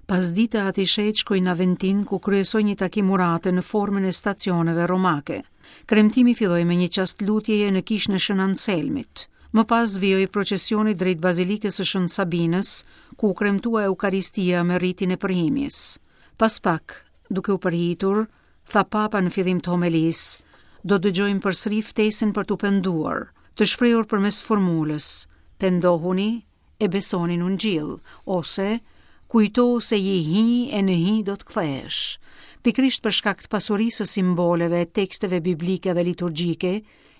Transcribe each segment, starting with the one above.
Pasdite Ati i Shenjtë shkoi në Aventin ku kryesoi një takim urate në formën e stacioneve romake. Kremtimi filloi me një çast lutjeje në kishën e Shën Anselmit. Më pas vijoi procesioni drejt Bazilikës së Shën Sabinës, ku u kremtua Eukaristia me ritin e përhimjes. Pas pak, duke u përhitur, tha Papa në fillim të homelisë, do të dëgjojmë përsëri ftesën për t'u penduar, të shprehur përmes formulës, pendohuni e besoni në Ungjill, ose kujto se je hi e në hi do të kthehesh. Pikërisht për shkak të pasurisë së simboleve, teksteve biblike dhe liturgjike,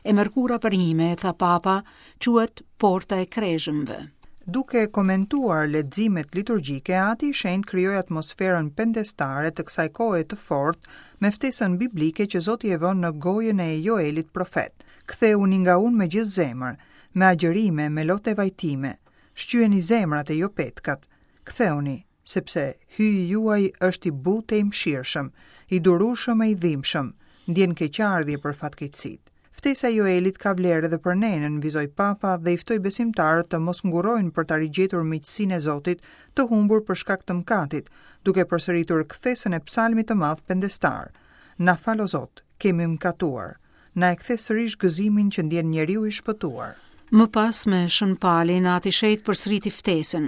E mërkura përhime, tha Papa, quhet Porta e Kreshmëve. Duke komentuar leximet liturgjike, Ati i Shenjtë krijoi atmosferën pendestare të kësaj kohe të fortë me ftesën biblike që Zoti e vë në gojën e Joelit profet, Kthehuni nga unë me gjithë zemër, me agjërime, me lot e vajtime. Shqyeni zemrat e jo petkat. Kthehuni, sepse Hyji juaj është i butë e i mëshirshëm, i durueshëm e i dhimbshëm, ndjen keqardhje për fatkeqësitë. Ftesa e Joelit ka vlerë edhe për ne, nënvizoi Papa dhe i ftoi besimtarët të mos ngurrojnë për ta rigjetur miqësinë e Zotit të humbur për shkak të mëkatit, duke përsëritur kthesën e psalmit të madh pendestar, Na fal o Zot, kemi mëkatuar. Na e kthe sërish gëzimin që ndjen njeriu i shpëtuar. Më pas me Shën Palin, Ati i Shenjtë përsëriti ftesën.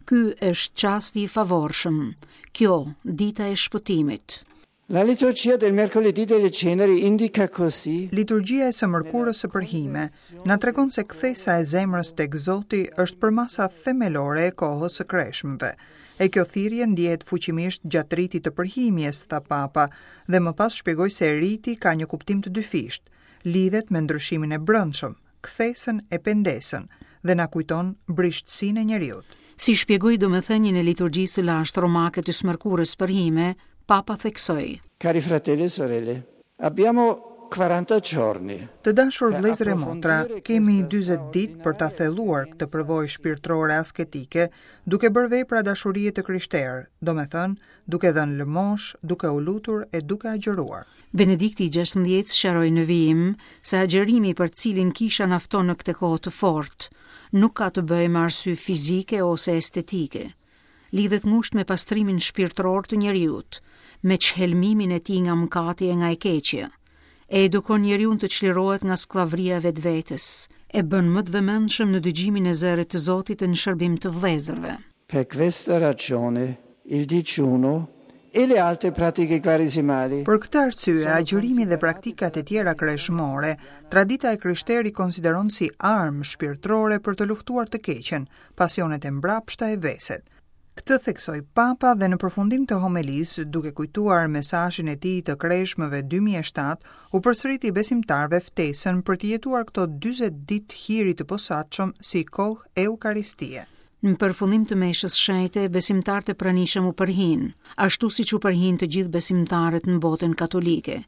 Ky është çasti i favorshëm. Kjo, dita e shpëtimit. La liturgia del mercoledì delle ceneri indica così. Liturgjia e së mërkurës së përhime na tregon se kthesa e zemrës tek Zoti është përmasa themelore e kohës së kreshmëve. E kjo thirrje ndjehet fuqimisht gjatë ritit të përhimjes, tha Papa, dhe më pas shpjegoi se riti ka një kuptim të dyfishtë, lidhet me ndryshimin e brendshëm, kthesën e pendesën dhe na kujton brishtësinë e njeriut. Si shpjegoi domethënien e liturgjisë së lashtë romake të së mërkurës përhime, Papa theksoi. Cari fratelli e sorelle, abbiamo 40 giorni. Të dashur vëllezër e motra, kemi 40 ditë për ta thelluar këtë përvojë shpirtërore asketike, duke bërë vepra dashurie të krishterë, domethënë, duke dhënë lëmoshë, duke u lutur e duke agjëruar. Benedikti i XVI sqaroi në vijim se agjërimi për të cilin kisha na fton në këtë kohë të fortë, nuk ka të bëjë me arsye fizike ose estetike. Lidhet ngushtë me pastrimin shpirtëror të njeriut, me çhelmimin e tij nga mëkati e nga e keqja. E edukon njeriun të çlirohet nga skllavëria e vetvetes, e bën më të vëmendshëm në dëgjimin e zërit të Zotit e në shërbim të vëllezërve. Per questa ragione il digiuno e le altre pratiche quaresimali. Për këtë arsye, agjërimi dhe praktikat e tjera kreshmore, tradita e krishterë i konsideron si armë shpirtërore për të luftuar të keqen, pasionet e mbrapshta e veset. Këtë theksoi Papa dhe në përfundim të homelisë, duke kujtuar mesazhin e tij të Kreshmëve 2007, u përsëriti besimtarëve ftesën për të jetuar këto 40 ditë hiri të posaçëm si kohë eukaristie. Në përfundim të meshës shenjte, besimtarët e pranishëm u përhinë, ashtu siç u përhinë të gjithë besimtarët në botën katolike.